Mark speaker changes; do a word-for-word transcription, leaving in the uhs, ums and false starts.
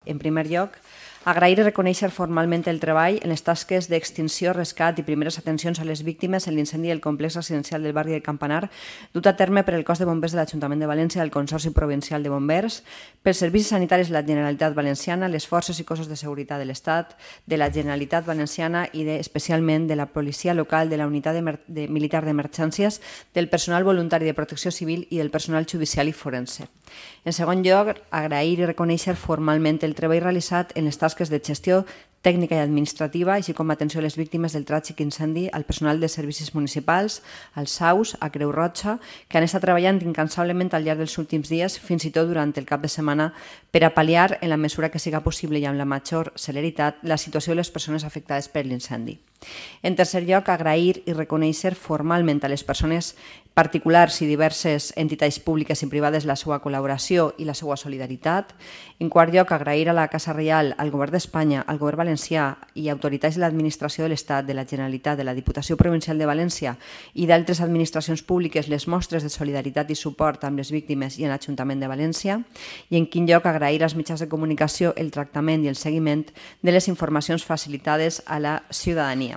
Speaker 1: En primer lloc, agrair i reconèixer formalment el treball en les tasques d'extinció, rescat i primeres atencions a les víctimes en l'incendi del complex residencial del barri del Campanar, dut a terme per el cos de bombers de l'Ajuntament de València del Consorci Provincial de Bombers, pels servicis sanitaris de la Generalitat Valenciana, les forces i cossos de seguretat de l'Estat, de la Generalitat Valenciana i de, especialment de la policia local, de la unitat de, de militar d'emergències, del personal voluntari de protecció civil i del personal judicial i forense. En segon lloc, agrair i reconèixer formalment el treball realitzat en les tasques de gestió tècnica i administrativa, així com atenció a les víctimes del tràgic incendi, al personal de servicis municipals, als S A Us, a Creu Roja, que han estat treballant incansablement al llarg dels últims dies, fins i tot durant el cap de setmana, per a pal·liar, en la mesura que siga possible i amb la major celeritat, la situació de les persones afectades per l'incendi. En tercer lloc, agrair i reconèixer formalment a les persones particulars i diverses entitats públiques i privades la seva col·laboració i la seva solidaritat. En quart lloc, agrair a la Casa Reial, al Govern d'Espanya, al Govern Valencià i autoritats de l'Administració de l'Estat, de la Generalitat, de la Diputació Provincial de València i d'altres administracions públiques les mostres de solidaritat i suport amb les víctimes i en l'Ajuntament de València. I en quint lloc, agrair als mitjans de comunicació el tractament i el seguiment de les informacions facilitades a la ciutadania.